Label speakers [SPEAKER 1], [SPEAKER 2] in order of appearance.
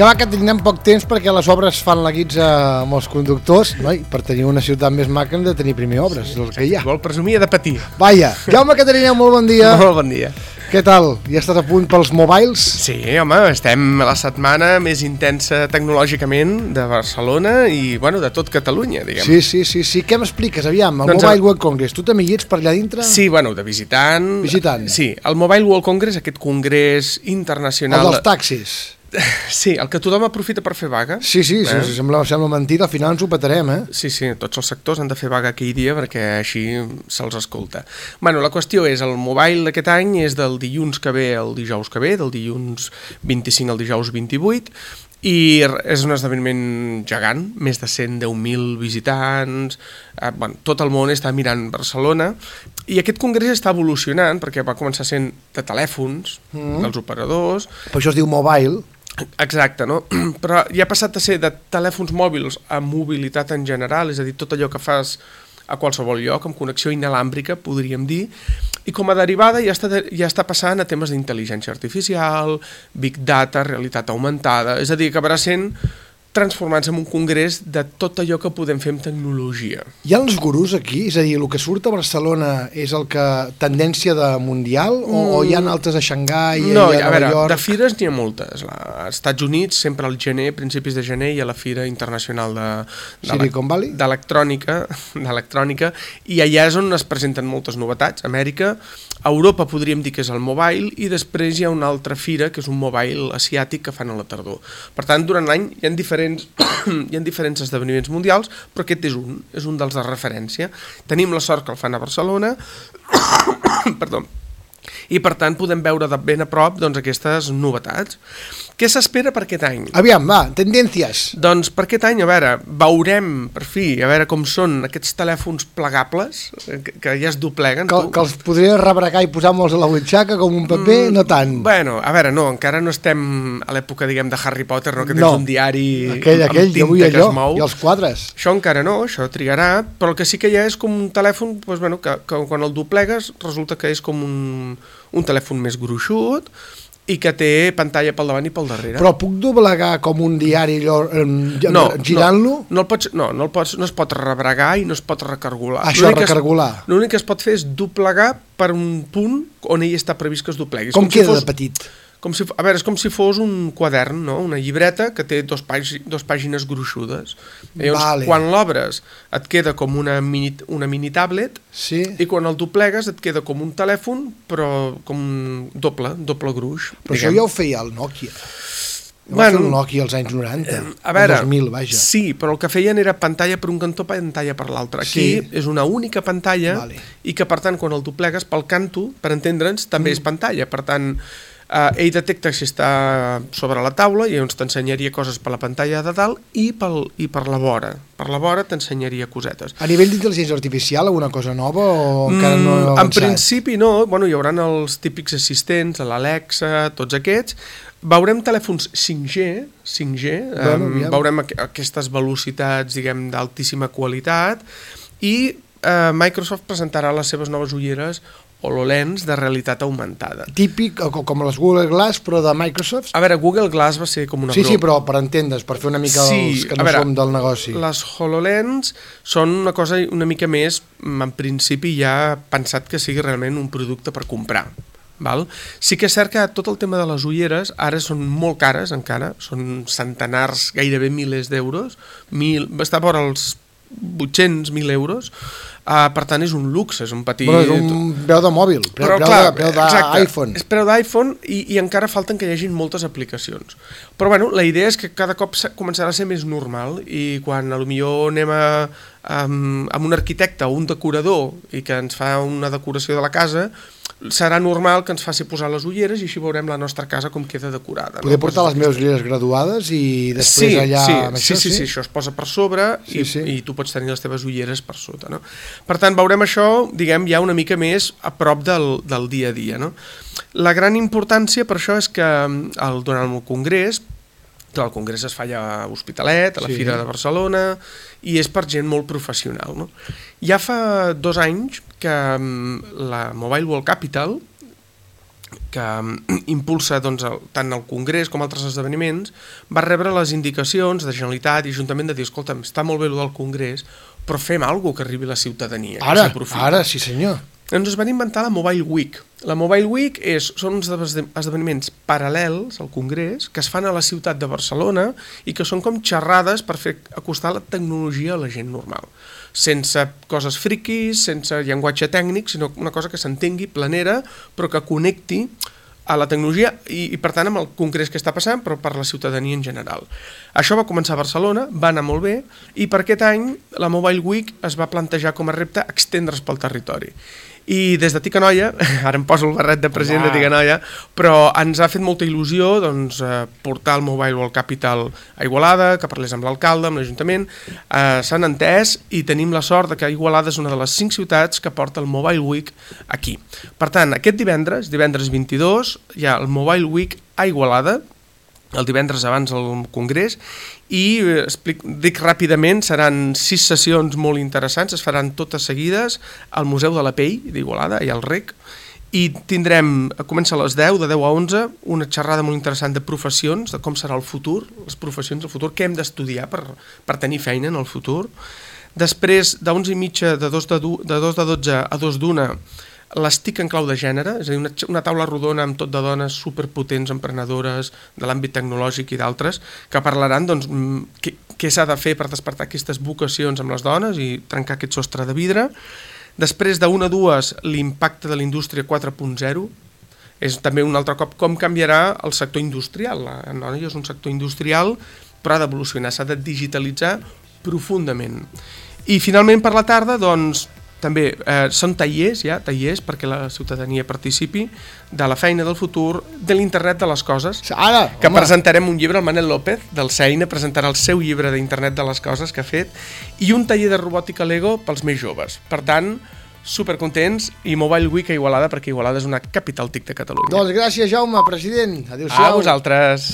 [SPEAKER 1] Vinga, va, que tindrem poc temps perquè les obres fan la guitza amb els conductors, no? I per tenir una ciutat més maca hem de tenir primer obres, és el que hi ha.
[SPEAKER 2] Vol presumir de patir.
[SPEAKER 1] Vaja, Jaume Catarineu, molt bon dia.
[SPEAKER 2] Molt bon dia.
[SPEAKER 1] Què tal? Ja estàs a punt pels mobiles?
[SPEAKER 2] Sí, home, estem a la setmana més intensa tecnològicament de Barcelona i, bueno, de tot Catalunya, diguem.
[SPEAKER 1] Sí. Què m'expliques, aviam? El
[SPEAKER 2] Doncs
[SPEAKER 1] Mobile World Congress, tu també hi ets per allà dintre?
[SPEAKER 2] Sí, bueno, de visitant.
[SPEAKER 1] Visitant.
[SPEAKER 2] Sí, el Mobile World Congress, aquest congrés internacional...
[SPEAKER 1] El dels taxis.
[SPEAKER 2] Sí, el que tothom aprofita per fer vaga.
[SPEAKER 1] Sí, sembla mentida, al final ens ho petarem,
[SPEAKER 2] Sí, tots els sectors han de fer vaga aquell dia perquè així se'ls escolta. Bueno, la qüestió és, el mobile d'aquest any és del dilluns que ve al dijous que ve, del dilluns 25 al dijous 28, i és un esdeveniment gegant, més de 110.000 visitants, tot el món està mirant Barcelona, i aquest congrés està evolucionant perquè va començar sent de telèfons, dels operadors...
[SPEAKER 1] Per això es diu mobile.
[SPEAKER 2] Exacte, no? Però ja ha passat a ser de telèfons mòbils a mobilitat en general, és a dir, tot allò que fas a qualsevol lloc, amb connexió inalàmbrica, podríem dir, i com a derivada ja està passant a temes d'intel·ligència artificial, big data, realitat augmentada, és a dir, acabarà sent transformant-se en un congrés de tot allò que podem fer amb tecnologia.
[SPEAKER 1] Hi ha els gurús aquí? És a dir, el que surt a Barcelona és el que tendència de mundial o hi ha altres a Xangai,
[SPEAKER 2] no,
[SPEAKER 1] a Nova York?
[SPEAKER 2] De fires n'hi ha moltes. Als Estats Units, sempre al gener, principis de gener, hi ha la Fira Internacional
[SPEAKER 1] Silicon Valley?
[SPEAKER 2] d'electrònica, i allà és on es presenten moltes novetats. Amèrica, Europa podríem dir que és el mobile, i després hi ha una altra fira, que és un mobile asiàtic que fan a la tardor. Per tant, durant l'any hi ha diferents esdeveniments mundials, però aquest és un dels de referència. Tenim la sort que el fan a Barcelona, perdó, i per tant podem veure de ben a prop aquestes novetats. Què s'espera per aquest any?
[SPEAKER 1] Aviam, va, tendències.
[SPEAKER 2] Doncs per aquest any, a veure, veurem per fi, a veure com són aquests telèfons plegables, que ja es dobleguen.
[SPEAKER 1] Que els podries rebregar i posar-me'ls a la butxaca com un paper, no tant.
[SPEAKER 2] Bueno, a veure, no, encara no estem a l'època, diguem, de Harry Potter, no, que tens un diari
[SPEAKER 1] aquell,
[SPEAKER 2] amb tinta
[SPEAKER 1] jo vull
[SPEAKER 2] que
[SPEAKER 1] allò,
[SPEAKER 2] es mou.
[SPEAKER 1] I els quadres.
[SPEAKER 2] Això encara no, això trigarà, però el que sí que hi ha és com un telèfon, doncs, bueno, que quan el doblegues resulta que és com un telèfon més gruixut, i que té pantalla pel davant i pel darrere.
[SPEAKER 1] Però puc doblegar com un diari girant-lo?
[SPEAKER 2] No es pot rebregar i no es pot recargolar.
[SPEAKER 1] Això, recargolar.
[SPEAKER 2] L'únic que es pot fer és doblegar per un punt on ell està previst que es doblegui.
[SPEAKER 1] Com queda de petit?
[SPEAKER 2] A veure, és com si fos un quadern, no? Una llibreta que té dos pàgines gruixudes. Llavors, quan l'obres et queda com una mini tablet,
[SPEAKER 1] sí.
[SPEAKER 2] I quan el doblegues et queda com un telèfon, però com doble gruix.
[SPEAKER 1] Però això ja ho feia el Nokia. Va fer el Nokia als anys 90,
[SPEAKER 2] a veure,
[SPEAKER 1] 2000, vaja.
[SPEAKER 2] Sí, però el que feien era pantalla per un cantó, pantalla per l'altre. Aquí és una única pantalla, i que per tant quan el doblegues pel canto, per entendre'ns, també és pantalla. Per tant, ell detecta si està sobre la taula i llavors t'ensenyaria coses per la pantalla de dalt i per la vora. Per la vora t'ensenyaria cosetes.
[SPEAKER 1] A nivell d'intel·ligència artificial, alguna cosa nova o encara no heu avançat?
[SPEAKER 2] En principi no, bueno, hi haurà els típics assistents, l'Alexa, tots aquests. Veurem telèfons 5G, veurem aquestes velocitats, diguem, d'altíssima qualitat, i Microsoft presentarà les seves noves ulleres HoloLens de realitat augmentada.
[SPEAKER 1] Típic, com les Google Glass, però de Microsoft?
[SPEAKER 2] A veure, Google Glass va ser com una broma.
[SPEAKER 1] Sí, però per entendre's, per fer una mica els que no som del negoci.
[SPEAKER 2] Les HoloLens són una cosa una mica més, en principi ja pensat que sigui realment un producte per comprar. Val? Sí que és cert que tot el tema de les ulleres ara són molt cares encara, són centenars, gairebé milers d'euros, està vora els 800.000 euros, per tant és un luxe, és un petit...
[SPEAKER 1] Bueno, és un preu de mòbil, preu d'iPhone.
[SPEAKER 2] És preu d'iPhone i encara falten que hi hagin moltes aplicacions. Però bueno, la idea és que cada cop començarà a ser més normal i quan potser anem amb un arquitecte o un decorador i que ens fa una decoració de la casa, serà normal que ens faci posar les ulleres i així veurem la nostra casa com queda decorada.
[SPEAKER 1] Poder portar les meves ulleres graduades i després allà...
[SPEAKER 2] Sí, això es posa per sobre i tu pots tenir les teves ulleres per sota. No? Per tant, veurem això, diguem, ja una mica més a prop del dia a dia. No? La gran importància per això és que durant el congrés, el congrés es fa allà a Hospitalet, a la Fira de Barcelona, i és per gent molt professional. No? Ja fa 2 anys que la Mobile World Capital impulsa doncs, tant el Congrés com altres esdeveniments, va rebre les indicacions de Generalitat i Ajuntament de dir, escolta, està molt bé el del Congrés, però fem alguna cosa que arribi a la ciutadania.
[SPEAKER 1] Ara, sí senyor.
[SPEAKER 2] Ens es van inventar la Mobile Week. La Mobile Week són uns esdeveniments paral·lels al Congrés que es fan a la ciutat de Barcelona i que són com xerrades per fer acostar la tecnologia a la gent normal. Sense coses friquis, sense llenguatge tècnic, sinó una cosa que s'entengui, planera, però que connecti a la tecnologia i per tant amb el Congrés que està passant, però per la ciutadania en general. Això va començar a Barcelona, va anar molt bé, i per aquest any la Mobile Week es va plantejar com a repte extendre's pel territori. I des de Ticanoia, ara em poso el barret de president de Ticanoia, però ens ha fet molta il·lusió doncs, portar el Mobile World Capital a Igualada, que parlés amb l'alcalde, amb l'Ajuntament, s'han entès i tenim la sort que Igualada és una de les 5 ciutats que porta el Mobile Week aquí. Per tant, aquest divendres 22, hi ha el Mobile Week a Igualada, el divendres abans del Congrés, i dic ràpidament, seran 6 sessions molt interessants, es faran totes seguides al Museu de la Pell d'Igualada, i al REC, i tindrem, comença a les 10, de 10 a 11, una xerrada molt interessant de professions, de com serà el futur, les professions del futur, què hem d'estudiar per tenir feina en el futur. Després, d'11:30, de 2 de 12 a 2 d'1, les TIC en clau de gènere, és a dir, una taula rodona amb tot de dones superpotents, emprenedores de l'àmbit tecnològic i d'altres, que parlaran doncs, què s'ha de fer per despertar aquestes vocacions amb les dones i trencar aquest sostre de vidre. Després, de 1 a 2, l'impacte de la indústria 4.0, és també un altre cop com canviarà el sector industrial. La noia és un sector industrial, però ha d'evolucionar, s'ha de digitalitzar profundament. I finalment per la tarda, doncs, també són tallers perquè la ciutadania participi de la feina del futur, de l'internet de les coses, que presentarem un llibre, el Manel López del CEINA presentarà el seu llibre d'internet de les coses que ha fet, i un taller de robòtica Lego pels més joves. Per tant, supercontents, i Mobile Week a Igualada, perquè Igualada és una capital TIC de Catalunya.
[SPEAKER 1] Doncs gràcies, Jaume, president. Adéu-siau.
[SPEAKER 2] A vosaltres.